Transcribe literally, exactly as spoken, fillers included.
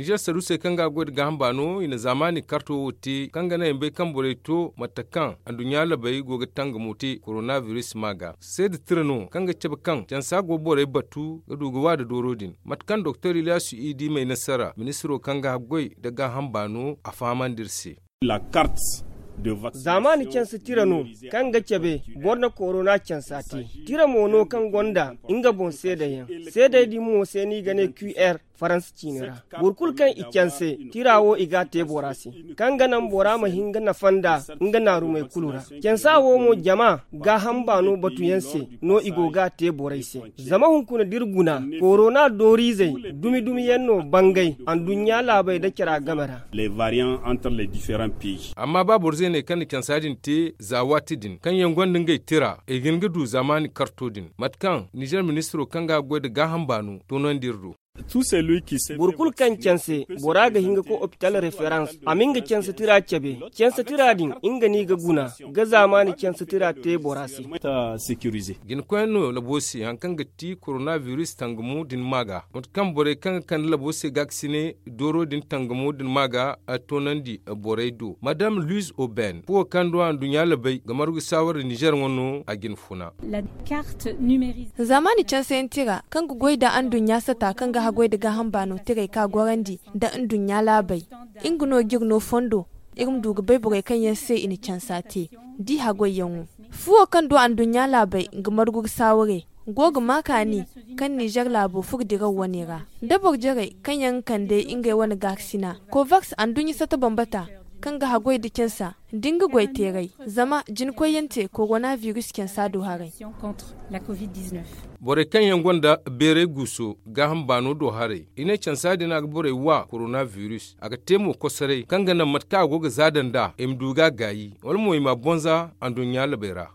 Nizer saruusey kaŋ ga goy nda gaaham baano i na zaamaani karto wo te kaŋ ga naŋ i ma bay kaŋ borey to mate kaŋ anduɲɲa labey go ga tangamo te koronabiris ma ga seeda tira no kaŋ ga cabe kaŋ cansa go borey batu ga du ga wa nda dooro din mate kaŋ doktor iliyaasu idi may nasara ministiro kaŋ ga goy nda gaaham baano a fahamandi iri se. Zaamaani canse tira no kaŋ ga cabe boro na korona cansa te. Tira mo no kaŋ gonda nga boŋ seedayaŋ. Seedey din mo se no i ga ne qr faransa ciine ra. Boro kulu kaŋ i canse tira wo i ga a te bora se kaŋ ga naŋ bora ma hin ga nafa nda nga naarumey kulu ra. Cansa wo mo jama gaaham baano batuyaŋ se no i go ga a te borey se. Zama hunkuna da iri guna korona dooriizey dumi-dumiyaŋ no bangay anduɲɲa laabey nda cara game ra. Amma ba boro zeeney kaŋ na cansa din te za waati din kaŋ yaŋ gonda ngey tira i ga hin ga du zaamaani karto din mate kaŋ nizer ministiro kaŋ ga goy nda gaaham baano toonandi iri do. Boro kulu kaŋ canse bora ga hin ga koy opital referans a ma nga canse tira cabe. Canse tira din nga no i ga guna ga zaamaani canse tira te bora se. Jinakoyyaŋ no labo se hari kaŋ ga ti koronabiris tangamo din ma ga mate kaŋ borey kaŋ ga kande labo se gaakasine dooro din tangamo din ma ga toonandi borey do madam luis oben fuwo kaŋ do anduɲɲa labey ga margu saawar nda nizer ŋwa no a jina funa. Zaamaani canseyaŋ tira kaŋ ga goy nda anduɲɲa sata kaŋ ga haggoy nda gaaham baano tirey ka gorandi nda anduɲɲa laabey. Nga no ga iri no fondo iri ma du ga bay borey kaŋ yaŋ se i na cansa te di haggoyyaŋo. Fuwo kaŋ du anduɲɲa laabey ga margu ga saaware go ga ma kaani kaŋ nizer laabo furo diraw wane ra da boro jarey kaŋ yaŋ ga kande ngey wane gaakasina kovaks anduɲɲa sata bambata kaŋ ga haggoy nda cansa nda nga goy teeray. Zama jinakoyyaŋ te koronabiris cansa do haray. Borey kaŋ yaŋ gonda beeray guuso gaaham baano do haray i ne cansa din a ga borey wa koronabiris a ga te mo kosoray kaŋ ga naŋ mate kaŋ a go ga zaada nd'a i ma du ga a gaayi wala mo i m'a boŋ za anduɲɲa labey ra.